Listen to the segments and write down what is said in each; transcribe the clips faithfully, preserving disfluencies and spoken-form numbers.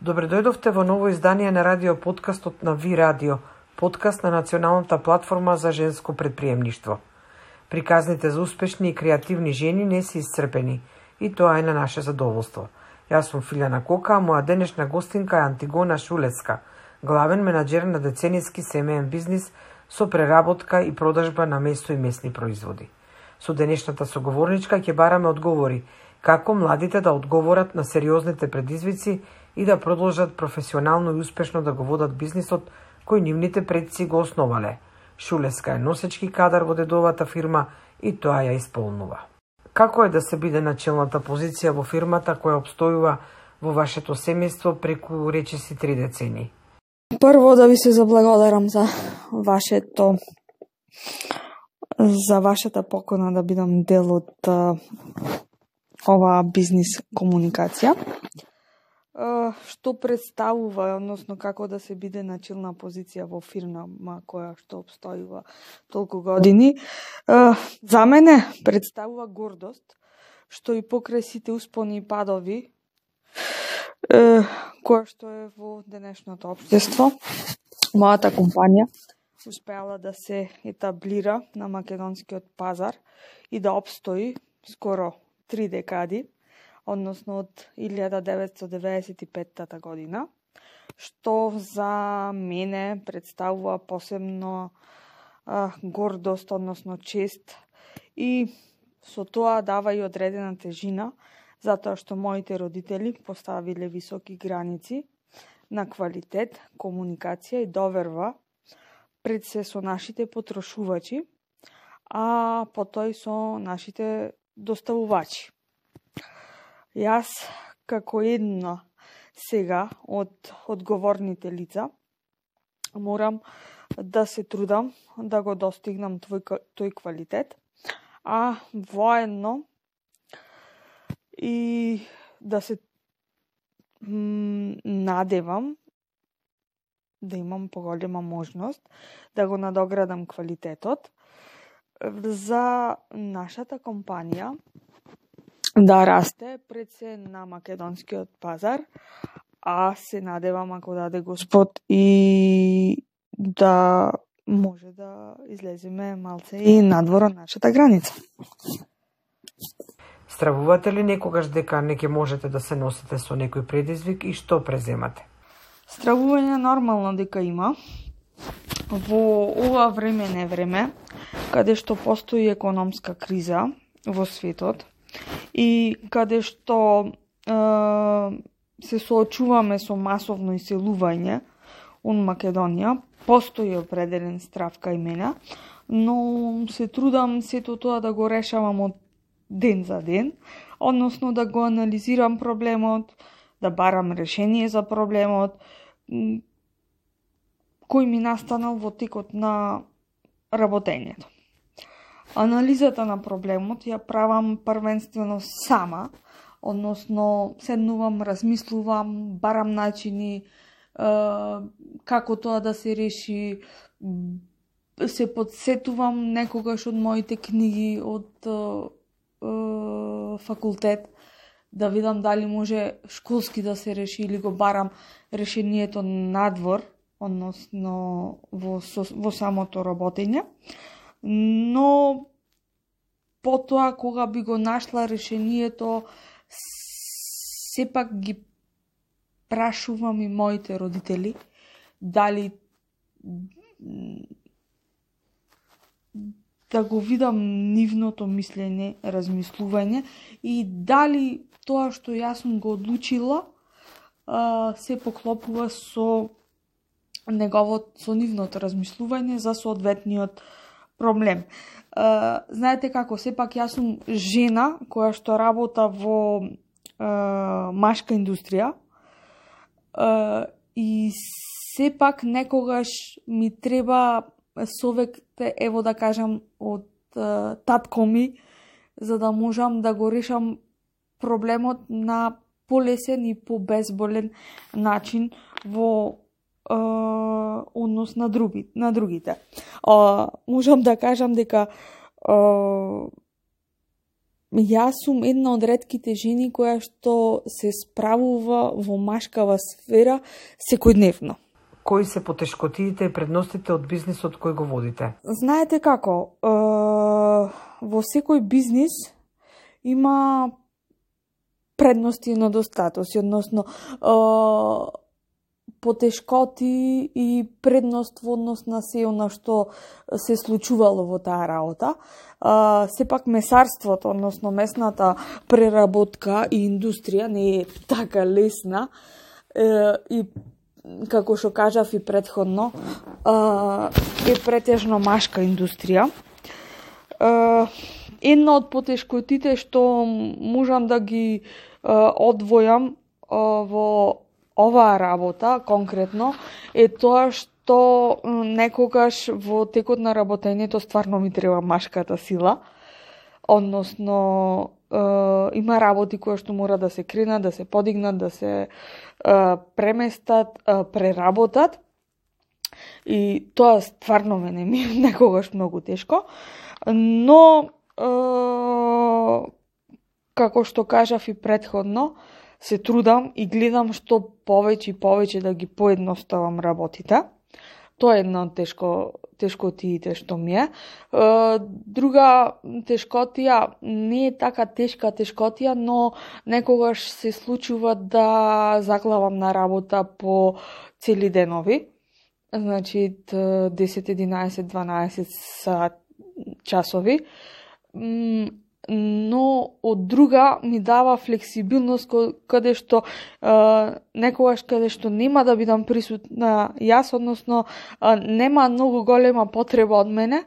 Добре дојдовте во ново издание на радио подкастот на Ви Радио, подкаст на националната платформа за женско предприемништво. Приказните за успешни и креативни жени не се исцрпени и тоа е на наше задоволство. Јас сум Филјана Кока, а моја денешна гостинка е Антигона Шулевска, главен менаџер на деценијски семеен бизнис со преработка и продажба на месо и месни производи. Со денешната соговорничка ќе бараме одговори како младите да одговорат на сериозните предизвици и да продолжат професионално и успешно да го водат бизнисот кој нивните предци го основале. Шулевска е носечки кадар во дедовата фирма и тоа ја исполнува. Како е да се биде на челната позиција во фирмата која обстојува во вашето семејство преку речиси три децени? Прво да ви се заблагодарам за вашето за вашата покана да бидам дел од uh, оваа бизнис комуникација. Uh, што представува, односно како да се биде на челна позиција во фирма која што обстојува толку години. Uh, за мене представува гордост, што и покрај сите успони и падови, uh, која што е во денешното општество, мојата компанија успеала да се етаблира на македонскиот пазар и да обстои скоро три декади, односно од илјада деветстотини деветдесет и петта година, што за мене представува посебно а, гордост, односно чест, и со тоа дава и одредена тежина, затоа што моите родители поставиле високи граници на квалитет, комуникација и доверба пред се со нашите потрошувачи, а потоа и со нашите доставувачи. Јас, како една сега од одговорните лица, морам да се трудам да го достигнам тој, тој квалитет, а воедно и да се м, надевам да имам поголема можност да го надоградам квалитетот за нашата компанија да расте пред се на македонскиот пазар, а се надевам, ако даде Господ, и да може да излеземе малце и надвор од нашата граница. Стравувате ли некогаш дека не ќе можете да се носите со некој предизвик и што преземате? Стравување нормално дека има. Во ова време не време, каде што постои економска криза во светот, и каде што е, се соочуваме со масовно иселување од Македонија, постои определен страв кај мене, но се трудам сето тоа да го решавам од ден за ден, односно да го анализирам проблемот, да барам решение за проблемот, кој ми настанал во текот на работењето. Анализата на проблемот ја правам првенствено сама, односно седнувам, размислувам, барам начини е, како тоа да се реши, се подсетувам некогаш од моите книги од е, е, факултет, да видам дали може школски да се реши или го барам решението надвор, односно во, во самото работење. Но потоа кога би го нашла решението, сепак ги прашувам и моите родители дали да го видам нивното мислење, размислување и дали тоа што јас сум го одлучила се поклопува со неговото, со нивното размислување за соодветниот проблем. Uh, знаете како, сепак јас сум жена која што работа во uh, машка индустрија uh, и сепак некогаш ми треба советите, ево да кажам, од uh, татко ми, за да можам да го решам проблемот на полесен и побезболен начин во Uh, однос на, други, на другите. Uh, можам да кажам дека uh, јас сум една од ретките жени која што се справува во машкава сфера секојдневно. Кои се потешкотиите и предностите од бизнисот кој го водите? Знаете како, е, во секој бизнис има предности и недостатоци, односно е, потешкоти и предност во однос на се она што се случувало во таа работа. А, сепак месарството, односно месната преработка и индустрија не е така лесна е, и како што кажав и претходно, е претежно машка индустрија. Една од потешкотите што можам да ги одвојам во оваа работа конкретно е тоа што некогаш во текот на работењето стварно ми треба машката сила, односно е, има работи кои што мора да се кренат, да се подигнат, да се е, преместат, е, преработат и тоа стварно мене ми е некогаш многу тешко, но е, како што кажав и претходно, се трудам и гледам што повеќе и повеќе да ги поедноставам работите. Тоа е една од тешко, тешкотиите што ми е. Друга тешкотија, не е така тешка тешкотија, но некогаш се случува да заглавам на работа по цели денови. Значи десет, единаесет, дванаесет часови. Но од друга ми дава флексибилност каде што е, некогаш каде што нема да бидам присутна јас, односно е, нема многу голема потреба од мене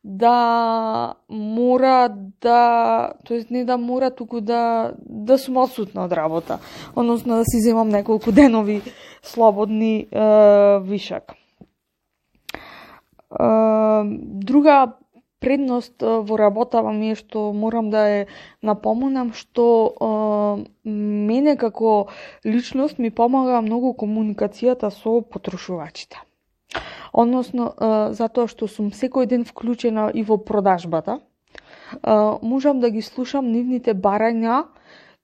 да мора да, тоест не да мора, туку да да сум отсутна од работа, односно да си земам неколку денови слободни е, вишак. Е, друга предност во работава ми е што морам да е напомнам што е, мене како личност ми помага многу комуникацијата со потрошувачите. Односно, е, затоа што сум секој ден вклучена и во продажбата, е, можам да ги слушам нивните барања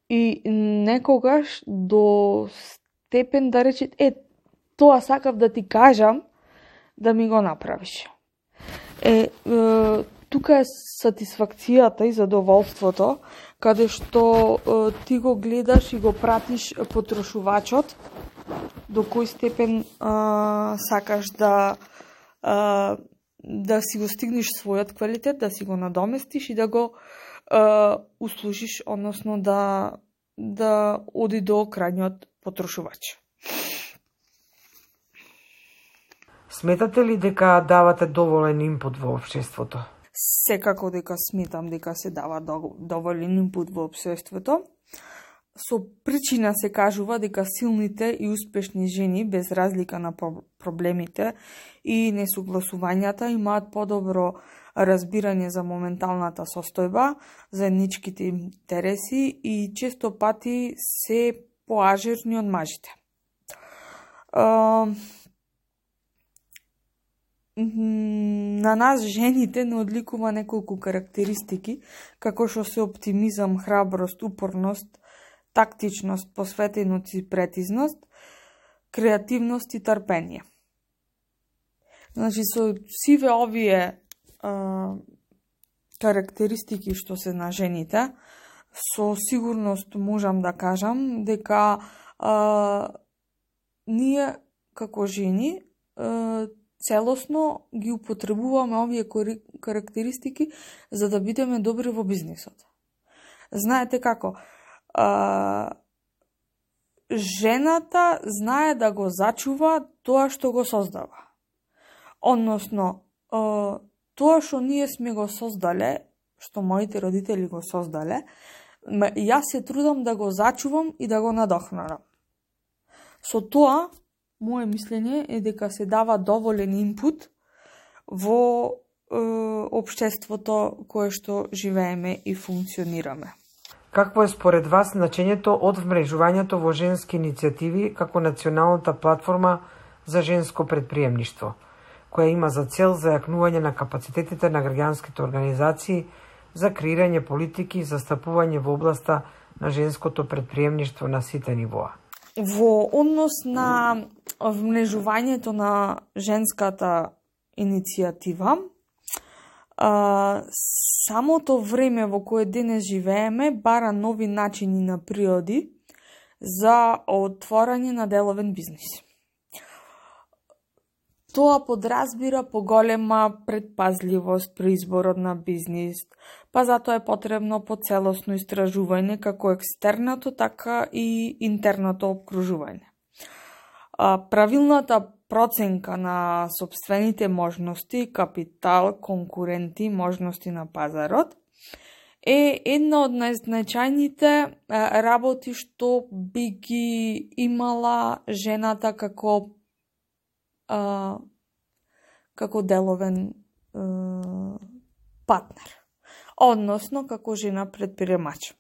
и некогаш до степен да рече, е, тоа сакав да ти кажам да ми го направиш. Е, е, тука е сатисфакцијата и задоволството, каде што е, ти го гледаш и го пратиш потрошувачот, до кој степен е, сакаш да е, да си го стигнеш својот квалитет, да си го надоместиш и да го е, услужиш, односно да, да оди до крајниот потрошувач. Сметате ли дека давате доволен инпут во општеството? Секако дека сметам дека се дава доволен инпут во општеството. Со причина се кажува дека силните и успешни жени, без разлика на проблемите и несогласувањата, имаат подобро разбирање за моменталната состојба, заедничките интереси и често пати се поажерни од мажите. На нас, жените, не одликува неколку карактеристики, како што се оптимизам, храброст, упорност, тактичност, посветеност и претизност, креативност и трпение. Значи, со сиве овие а, карактеристики што се на жените, со сигурност можам да кажам дека а, ние, како жени, а, целосно ги употребуваме овие карактеристики за да бидеме добри во бизнисот. Знаете како? А, жената знае да го зачува тоа што го создава. Односно, а, тоа што ние сме го создале, што моите родители го создале, јас се трудам да го зачувам и да го надохнарам. Со тоа, моје мислење е дека се дава доволен инпут во е, општеството кое што живееме и функционираме. Какво е според вас значењето од вмрежувањето во женски иницијативи како националната платформа за женско предприемништво, која има за цел зајакнување на капацитетите на граѓанските организации за креирање политики и застапување во областа на женското предприемништво на сите нивоа. Во однос на вмнежувањето на женската иницијатива, а, самото време во кое денес живееме бара нови начини на природи за отворање на деловен бизнис. Тоа подразбира поголема предпазливост при изборот на бизнис, па затоа е потребно поцелосно истражување како екстерното, така и интерното обкружување. Правилната проценка на сопствените можности, капитал, конкуренти, можности на пазарот е една од најзначајните работи што би ги имала жената како Uh, како деловен uh, партнер, односно како жена предприемач.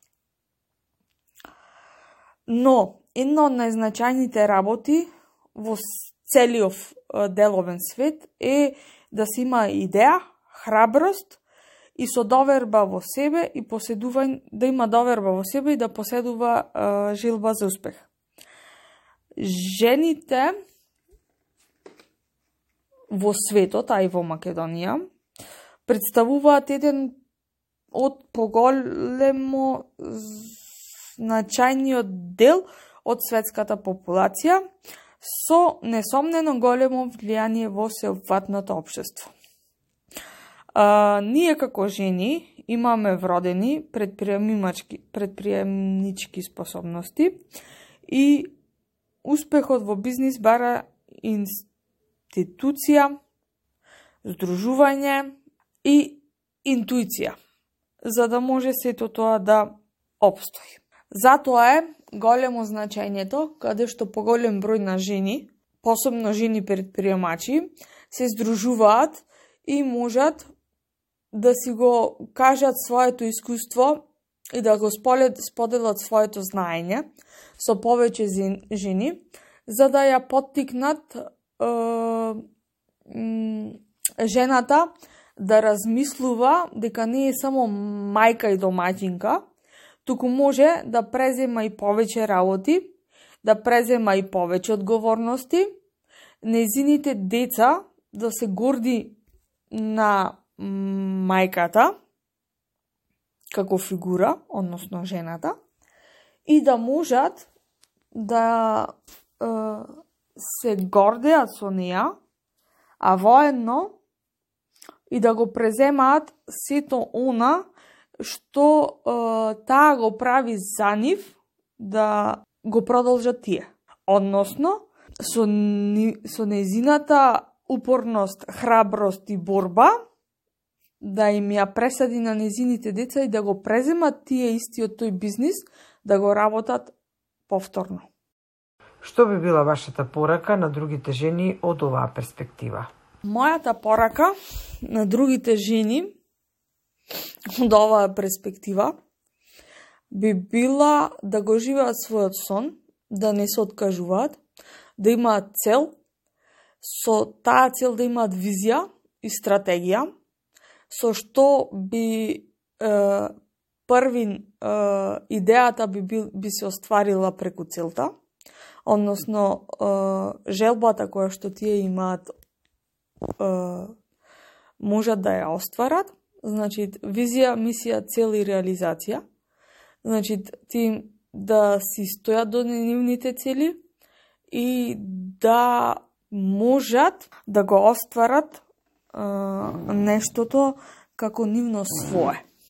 Но, една од најзначајните работи во целиот uh, деловен свет е да се има идеја, храброст и со доверба во себе и поседување, да има доверба во себе и да поседува uh, желба за успех. Жените во светот, а и во Македонија, представуваат еден од поголемо значајниот дел од светската популација, со несомнено големо влијание во сеопфатното општество. А, ние како жени имаме вродени предприемнички, предприемнички способности и успехот во бизнис бара институт институција, здружување и интуиција, за да може сето тоа да опстои. Затоа е големо значењето каде што поголем број на жени, посебно жени предприемачи, се здружуваат и можат да си го кажат своето искуство и да го споделат своето знаење со повеќе жени, за да ја поттикнат жената да размислува дека не е само мајка и домаќинка, туку може да презема и повеќе работи, да презема и повеќе одговорности, нејзините деца да се горди на мајката како фигура, односно жената, и да можат да е, се гордеат со неа, а воедно и да го преземаат сето она што е, таа го прави за нив да го продолжат тие. Односно, со, ни, со нејзината упорност, храброст и борба, да им ја пресади на нејзините деца и да го преземат тие истиот тој бизнис, да го работат повторно. Што би била вашата порака на другите жени од оваа перспектива? Мојата порака на другите жени од оваа перспектива би била да го живеат својот сон, да не се откажуваат, да имаат цел, со таа цел да имаат визија и стратегија, со што би е, првин е, идејата би, би, би се остварила преку целта, односно е, желбата која што тие имаат е, можат да ја остварат, значи визија, мисија, цел и реализација, значи ти да си стојат до нивните цели и да можат да го остварат Uh, нештото како нивно свое.